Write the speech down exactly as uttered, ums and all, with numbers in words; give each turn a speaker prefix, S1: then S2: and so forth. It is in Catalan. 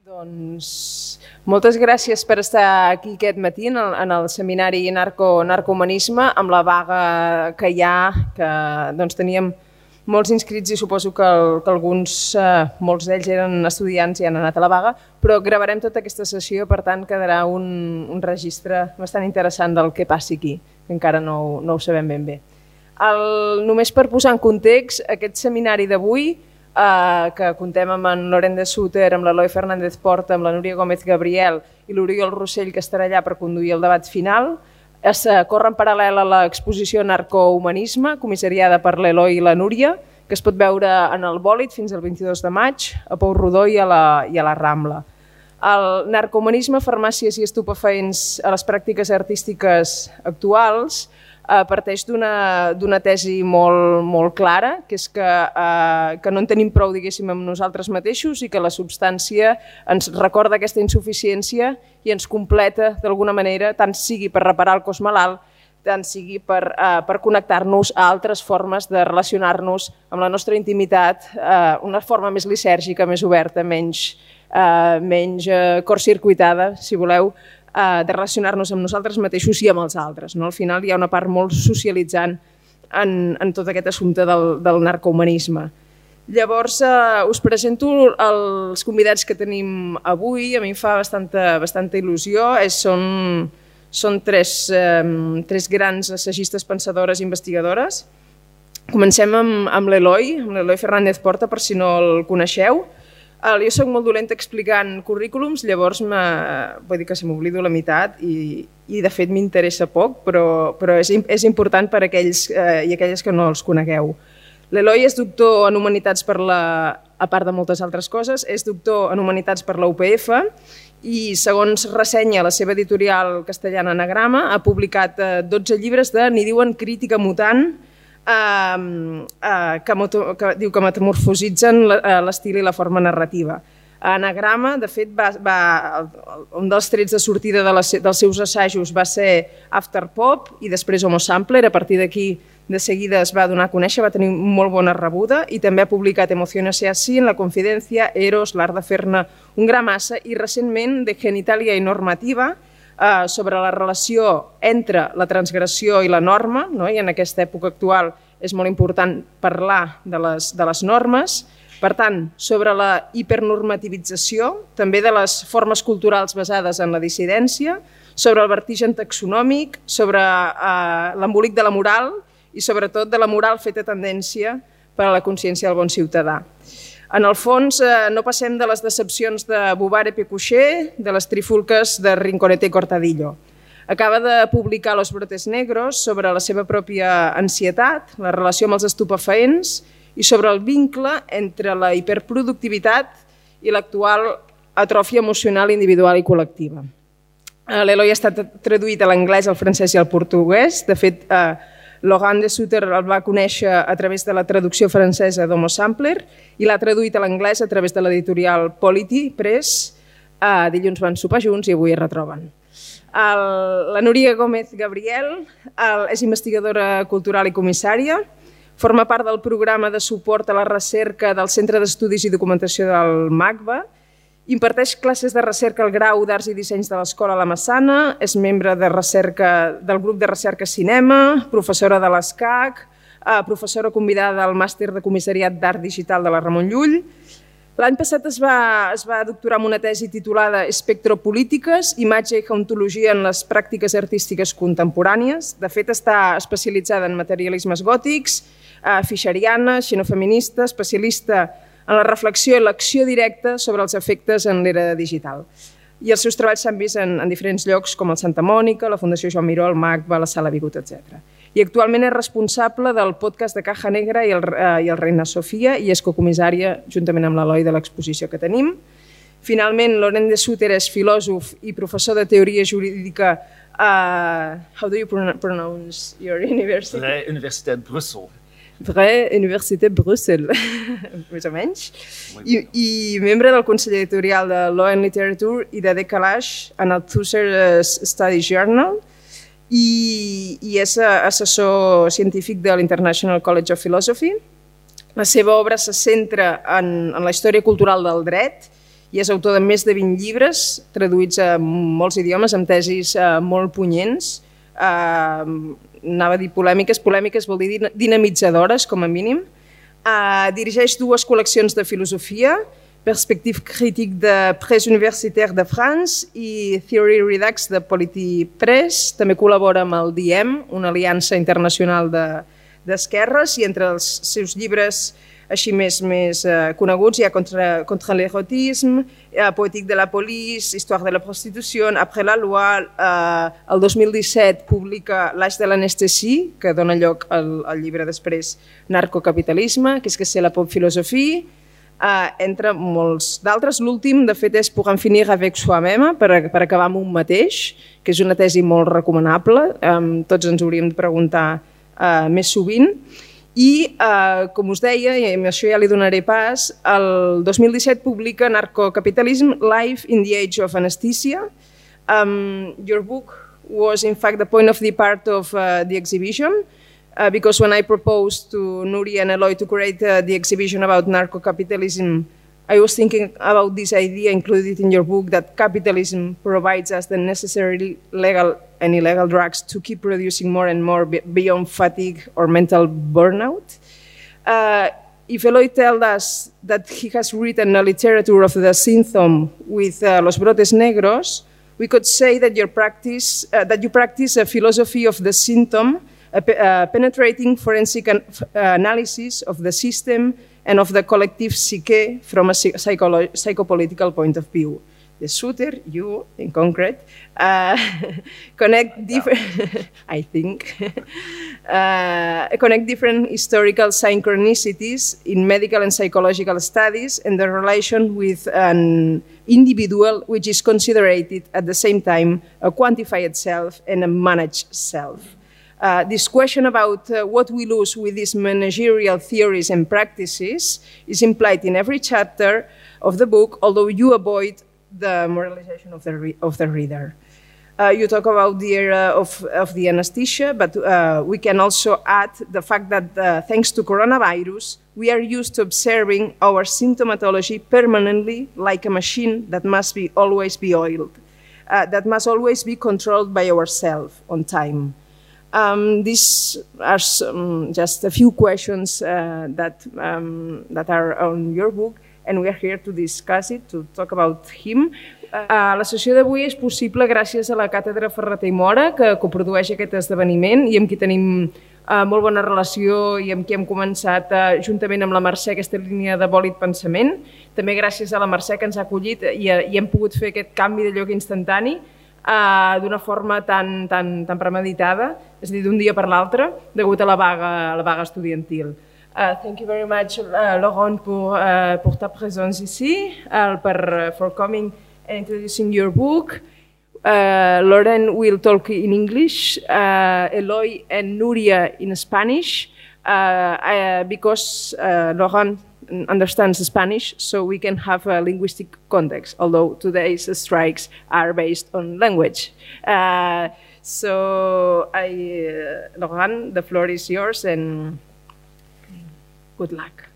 S1: Doncs moltes gràcies per estar aquí aquest matí en el, en el seminari Narco, Narcohumanisme, amb la vaga que hi ha, que doncs, teníem molts inscrits i suposo que, el, que alguns, eh, molts d'ells eren estudiants i han anat a la vaga, però gravarem tota aquesta sessió, per tant quedarà un, un registre bastant interessant del que passi aquí, que encara no, no ho sabem ben bé. El, només per posar en context, aquest seminari d'avui, Uh, que contem amb en Laurent de Sutter, amb l'Eloi Fernández Porta, amb la Núria Gómez Gabriel i l'Oriol Rossell, que estarà allà per conduir el debat final. Es uh, corre en paral·lel a l'exposició Narcohumanisme, comissariada per l'Eloi i la Núria, que es pot veure en el Bòlit fins al vint-i-dos de maig, a Pou Rodó i a la, i a la Rambla. El narcohumanisme, farmàcies i estupefaents a les pràctiques artístiques actuals parteix d'una tesi molt, molt clara, que és que, eh, que no en tenim prou, diguéssim, amb nosaltres mateixos i que la substància ens recorda aquesta insuficiència i ens completa d'alguna manera, tant sigui per reparar el cos malalt, tant sigui per, eh, per connectar-nos a altres formes de relacionar-nos amb la nostra intimitat, eh, una forma més lisèrgica, més oberta, menys, eh, menys eh, cortcircuitada, si voleu, de relacionar-nos amb nosaltres mateixos i amb els altres. No? Al final hi ha una part molt socialitzant en, en tot aquest assumpte del, del narcohumanisme. Llavors, eh, us presento els convidats que tenim avui. A mi em fa bastanta, bastanta il·lusió. És, són són tres, eh, tres grans assagistes, pensadores i investigadores. Comencem amb, amb l'Eloi, amb l'Eloi Fernández Porta, per si no el coneixeu. Jo soc molt dolenta explicant currículums, llavors vull dir que se m'oblido la meitat i, i de fet m'interessa poc, però, però és, és important per a aquells eh, i aquelles que no els conegueu. L'Eloi és doctor en Humanitats per la, a part de moltes altres coses, és doctor en Humanitats per la U P F i segons ressenya la seva editorial castellana Anagrama ha publicat eh, dotze llibres de, n'hi diuen, crítica mutant, Uh, uh, que, que diu que metamorfositzen l'estil i la forma narrativa. Anagrama, de fet, va, va, un dels trets de sortida de les, dels seus assajos va ser Afterpop i després Homo Sampler. A partir d'aquí, de seguida es va donar a conèixer, va tenir molt bona rebuda i també ha publicat Emociones y así, En la Confidencia, Eros, L'art de fer-ne un gra massa i recentment De Genitalia y Normativa, Uh, sobre la relació entre la transgressió i la norma, no? I en aquesta època actual és molt important parlar de les, de les normes, per tant, sobre la hipernormativització, també de les formes culturals basades en la dissidència, sobre el vertigen taxonòmic, sobre uh, l'embolic de la moral i sobretot de la moral feta tendència per a la consciència del bon ciutadà. En el fons, eh, no passem de les decepcions de Bouvard i Pécuchet, de les trifulques de Rinconete i Cortadillo. Acaba de publicar Los brotes negros sobre la seva pròpia ansietat, la relació amb els estupefaents i sobre el vincle entre la hiperproductivitat i l'actual atròfia emocional individual i col·lectiva. L'Eloi ha estat traduït a l'anglès, al francès i al portuguès. De fet, eh, Laurent de Sutter el va conèixer a través de la traducció francesa d'Homo Sampler i l'ha traduït a l'anglès a través de l'editorial Polity Press. Uh, dilluns van sopar junts i avui es retroben. El, la Núria Gómez Gabriel el, és investigadora cultural i comissària, forma part del programa de suport a la recerca del Centre d'Estudis i Documentació del MACBA, imparteix classes de recerca al grau d'Arts i Dissenys de l'Escola La Massana, és membre de recerca del grup de recerca Cinema, professora de l'ESCAC, professora convidada al màster de comissariat d'Art Digital de la Ramon Llull. L'any passat es va, es va doctorar amb una tesi titulada Espectropolítiques, imatge i hauntologia en les pràctiques artístiques contemporànies. De fet, està especialitzada en materialismes gòtics, fischeriana, xenofeminista, especialista en la reflexió i l'acció directa sobre els efectes en l'era digital. I els seus treballs s'han vist en, en diferents llocs com el Santa Mònica, la Fundació Joan Miró, el MACBA, la Sala Bigut, etcètera. I actualment és responsable del podcast de Caja Negra i el, eh, i el Reina Sofia i és cocomissària juntament amb l'Eloi de l'exposició que tenim. Finalment, Laurent de Sutter és filòsof i professor de teoria jurídica a... How do you pronounce your university?
S2: La Universitat Brussel.
S1: Vraie Université Brussel, més o menys, I, i membre del Consell Editorial de Law and Literature i de Decalage en el Thusser Study Journal i, i és assessor científic de l'International College of Philosophy. La seva obra se centra en, en la història cultural del dret i és autor de més de vint llibres, traduïts a molts idiomes, amb tesis molt punyents, anava a dir polèmiques, polèmiques vol dir dinamitzadores, com a mínim. Dirigeix dues col·leccions de filosofia, Perspective critique de Presse universitaire de France i Theory Redux de Polity Press. També col·labora amb el D I E M, una aliança internacional d'esquerres, i entre els seus llibres així més, més uh, coneguts hi ha Contra, contra l'erotisme, uh, Poétique de la police, Histoire de la prostitució, Après la loi. Uh, el dos mil disset publica L'Age de l'anestèsie, que dona lloc al, al llibre després Narcocapitalisme, que és que c'est la pop philosophie, uh, entre molts d'altres. L'últim, de fet, és Pour en finir avec soi-même, per, per acabar amb un mateix, que és una tesi molt recomanable, um, tots ens hauríem de preguntar uh, més sovint. I, eh, com us deia, i amb això ja li donaré pas, el dos mil disset publica Narcocapitalism, Life in the Age of Anesthesia. Um, your book was, in fact, the point of depart of uh, the exhibition, uh, because when I proposed to Nuria and Eloy to create uh, the exhibition about narcocapitalism, I was thinking about this idea included in your book that capitalism provides us the necessary legal and illegal drugs to keep producing more and more beyond fatigue or mental burnout. Uh, if Eloy tells us that he has written a literature of the symptom with uh, Los Brotes Negros, we could say that, your practice, uh, that you practice a philosophy of the symptom, a, a penetrating forensic an, uh, analysis of the system and of the collective psyche from a psycholo psychopolitical point of view. The shooter, you in concrete, uh, connect different, I think, uh, connect different historical synchronicities in medical and psychological studies and the relation with an individual which is considered at the same time a quantified self and a managed self. Uh, this question about uh, what we lose with these managerial theories and practices is implied in every chapter of the book, although you avoid the moralization of the, re of the reader. Uh, you talk about the era of, of the anesthesia, but uh, we can also add the fact that uh, thanks to coronavirus, we are used to observing our symptomatology permanently like a machine that must be always be oiled, uh, that must always be controlled by ourselves on time. Um, these are some, just a few questions uh, that, um, that are on your book, and we are here to discuss it, to talk about him. Uh, la sessió d'avui és possible gràcies a la Càtedra Ferrater i Mora, que coprodueix aquest esdeveniment i amb qui tenim uh, molt bona relació i amb qui hem començat uh, juntament amb la Mercè aquesta línia de bòlit pensament. També gràcies a la Mercè que ens ha acollit i, i hem pogut fer aquest canvi de lloc instantani uh, d'una forma tan, tan, tan premeditada, és a dir, d'un dia per l'altre, degut a la vaga, a la vaga estudiantil. Uh, thank you very much, uh, Laurent, pour, uh, pour ta présence ici, uh, per, uh, for coming and introducing your book. Uh, Lauren will talk in English, uh, Eloy and Nuria in Spanish, uh, uh, because uh, Laurent understands Spanish, so we can have a linguistic context, although today's strikes are based on language. Uh, so, I, uh, Laurent, the floor is yours, and good luck.